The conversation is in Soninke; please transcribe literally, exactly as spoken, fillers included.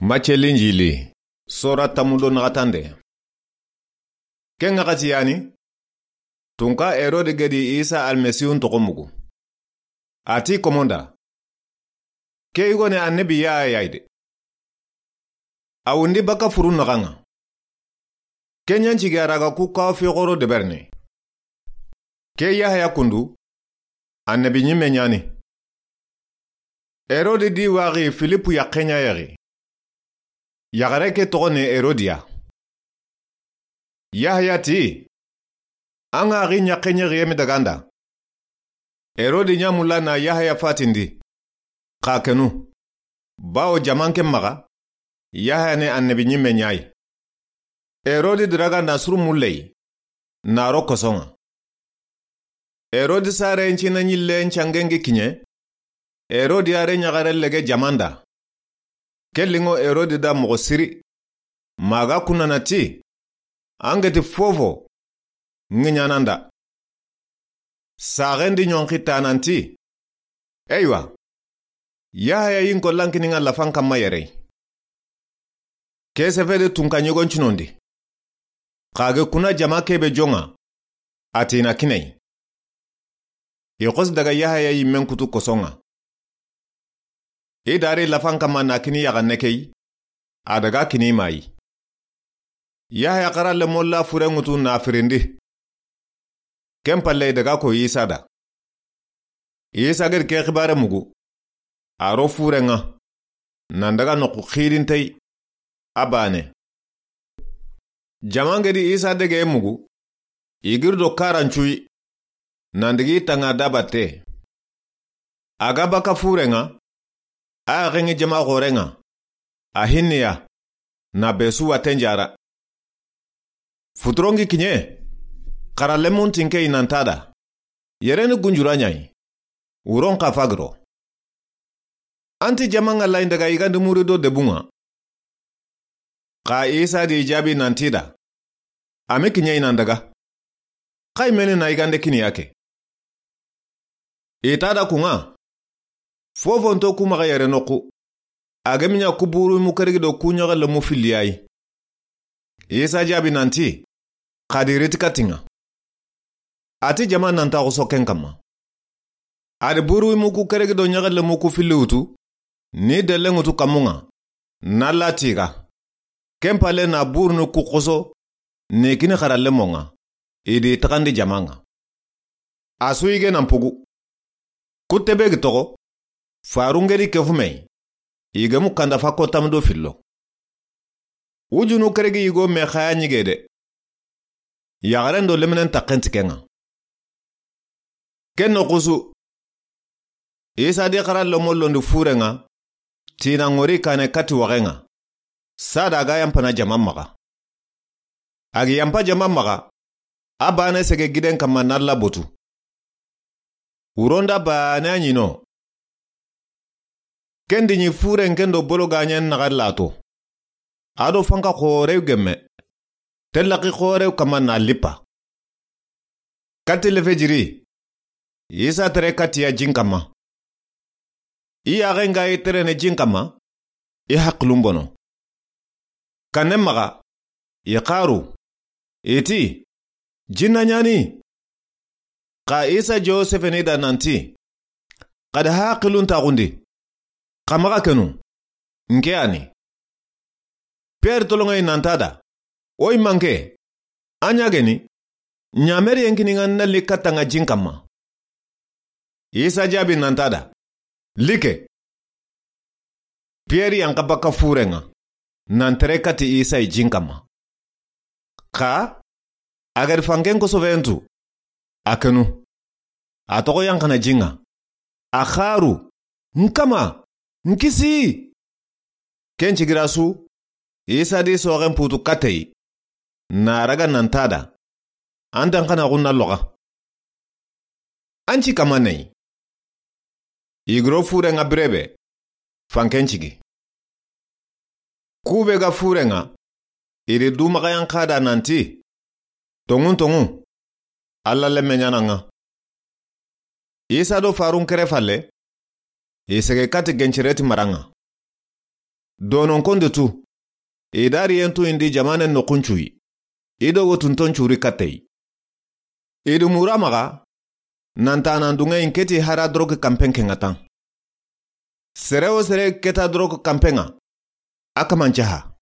Macce Linjili, sora tanmu do naxatande. Ken ŋaxati ya ni, tunka Herode ga di Isa Almasihu toxo mugu. A ti komonda, ke yogoni annabi Yahaya yi de. A wundi baka furu naxan ŋa. Ken ɲa n cigi a ra ga ku kawa fi xoro deberini. Ke Yahaya kundu, annabi ɲimme ɲa ni. Herode di waxi Filipu yaxen ɲa yaxi. Yaxare ke toxo ni Herodiya. Yahaya ti, an ga xi ɲaxe ɲexi yemi daganda. Herode ɲa mulla na Yahaya fatindi, xa kenu. Bawo jaman ke maxa, Yahaya ni annabi ɲimme ɲa yi. Herode diraga na suru mulle yi, na ro koson ŋa. Herode sare ncina ɲille ncangen gi kiɲe, Herode yare ɲaxare lege jamanda. Ke linŋo Herode da moxo siri. Maga kunana ti, an ga ti fofo, ŋiɲananda. Saxen di ɲonxi tananti, eywa, Yahaya yi n ko lankini ŋa lafan kanma yere. Ke sefede tunka ɲogon cinondi. Xa ga kuna jama kebe jonŋa, a ti na kini a yi. I xosi daga Yahaya yimmen kutu koson ŋa. I dari lafan kanma na kini yaxanne ke yi, a daga kini ma yi. Yahaya xaralle molla fure ŋutu na firindi. Ken palle i daga ko Isa da. Isa ga di ke xibare mugu, a ro fure ŋa, nan daga noxu xidinte yi, a bane. Jaman ga di Isa dege mugu, i giri do karancu yi, nan digi tanga da batte. A ga baka fure ŋa, a yaxen ŋi jama xore ŋa, a hinniya, na be su watten jara. Futuron gi kiɲe, xaralle mun tinke yi nan ta da, yere ni gunjura ɲa yi, wuron xa fagiro. An ti jaman ŋa layi daga yigandi muri do debun ŋa. Xa Isa di i jaabi nan ti da, a mi kiɲe yi nan daga. Xa i meni na yigande kini ya ke. I ta da kun ŋa, fofo nto ku maxa yere noxu, a ga mi ɲa ku buru mu keregi do ku ɲaxalle mu filli ya yi. Isa jaabi nan ti, xa di riti katin ŋa. A ti jama nan ta xoso ken kanma. A di buru mu ku keregi do ɲaxalle mu ku filli wutu, ni delle ŋutu kanmun ŋa, na la tiga. Ken palle na buru ni ku xoso, ni kini xaralle mon ŋa, i di taxandi jaman ŋa. A su yige nan pugu. Kutte be gi toxo, farun ga di ke fume, i ga mu kanda fa ko tammu do fillo. Wujunu keregi yigo me xaya ɲige de. Yaxaren do leminen taxen ti ken ŋa. Ken noxu su, Isa di xaralle mollondi fure ŋa, tina ŋori kane kati waxe ŋa. Sada ga yanpana jama maxa. A gi yanpa jama maxa, a bane sege giden kanma na la botu. Wuronda bane a ɲi no. Ken di ɲi furen ken do bolo gaɲen naxa lato. A do fanka xorew gemme. Tellaki xorew kanma na lipa. Kati lefejiri, Isa tere kati ya jin kanma. I yaxen ga i terene jin kanma, i haqilun bono. Kanne maxa, i xaru, i ti, jinna ɲa ni. Xa Isa jo sefeni da nan ti, xa da haqilun taxundi, xa maxa kenu, nke a ni. Pierre tolonŋe yi nan ta da, o yi manke, a ɲa geni, ɲameri yen kini ŋa na li katta ŋa jin kanma. Isa jaabi nan ta da, like. Pierre yanka baka fure ŋa, nan tere kati Isa yi jin kanma. Xa, a ga di fanken kosofen tu, a kenu. A toxo yankana jin ŋa. A xaru, n kama, n kisi. Ken cigira su, Isa di soxen putu kateyi. Na raga nan ta da. An dan xana xunna loxa. An ci kama nayi. Igro fure ŋa birebe. Fanken cigi. Kube ga fure ŋa, i di dumaxayan xa da nan ti, tonŋun tonŋu, Alla lemme ɲana ŋa. Isa do farun kere falle, i sege kati gencireti mara ŋa. Dononkonde tu. I da riyen tu indi jamanen noxun cuyi. I do wotunton curi kattey. I di mura maxa, nantanan dunŋeyi n keti hara doroki kanpen ke ŋa tan. Sere wo sere keta doroki kanpen ŋa, a kamancaha.